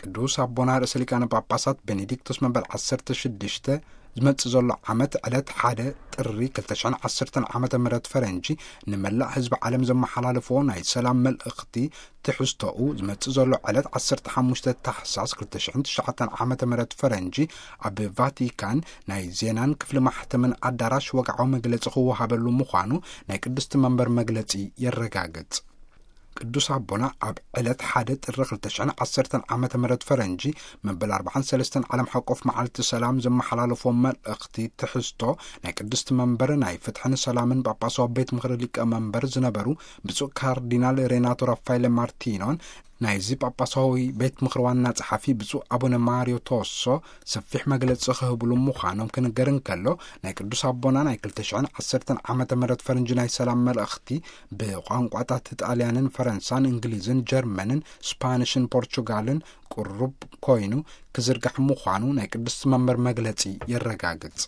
ቅዱስ ኣቦና ርእሰ ሊቃነ ጳጳሳት ቤኔዲክቶስ መበል ዓሰርተ ሽዱሽተ ዝመጽእ ዘሎ ዓመት ዕለት ሓደ ጥሪ ክልተ ሽሕን ዓሰርተን ዓመተ ምህረት ፈረንጂ ንመላእ ህዝቢ ዓለም ዘመሓላልፎ ናይ ሰላም መልእኽቲ ትሕዝቶኡ ዝመጽእ ዘሎ ዕለት ዓሰርተ ሓሙሽተ ታሕሳስ ክልተ ሽሕን ትሽዓተን ዓመተ ምህረት ፈረንጂ ኣብ ቫቲካን ናይ ዜናን ክፍሊ ማሕተምን ኣዳራሽ ወግዓዊ መግለጺ ክወሃበሉ ምዃኑ ናይ ቅድስቲ መንበር መግለጺ የረጋግጽ። ቅዱስ ኣቦና ኣብ ዕለት ሓደ ጥሪ ክልተ ሽሕን ዓሰርተን ዓመተ ምህረት ፈረንጂ መበል ኣርባዓን ሰለስተን ዓለም ሓቆፍ መዓልቲ ሰላም ዘመሓላለፎ መልእኽቲ ትሕዝቶ ናይ ቅድስቲ መንበር ናይ ፍትሕን ሰላምን ጳጳሳዊ ቤት ምኽሪ ሊቀ መንበር ዝነበሩ ብፁዕ ካርዲናል ሬናቶ ራፋኤለ ማርቲኖን ናይዚ ጳጳሳዊ ቤት ምኽሪ ዋና ጸሓፊ ብፁዕ ኣቡነ ማሪዮ ቶሶ ሰፊሕ መግለጺ ክህብሉ ምዃኖም ክንገር እንከሎ፣ ናይ ቅዱስ ኣቦና ናይ ክልተ ሽሕን ዓሰርተን ዓመተ ምህረት ፈረንጂ ናይ ሰላም መልእኽቲ ብቋንቋታት ጣልያንን ፈረንሳን እንግሊዝን ጀርመንን ስፓኒሽን ፖርቹጋልን ቅሩብ ኮይኑ ክዝርጋሕ ምዃኑ ናይ ቅድስቲ መንበር መግለጺ የረጋግጽ።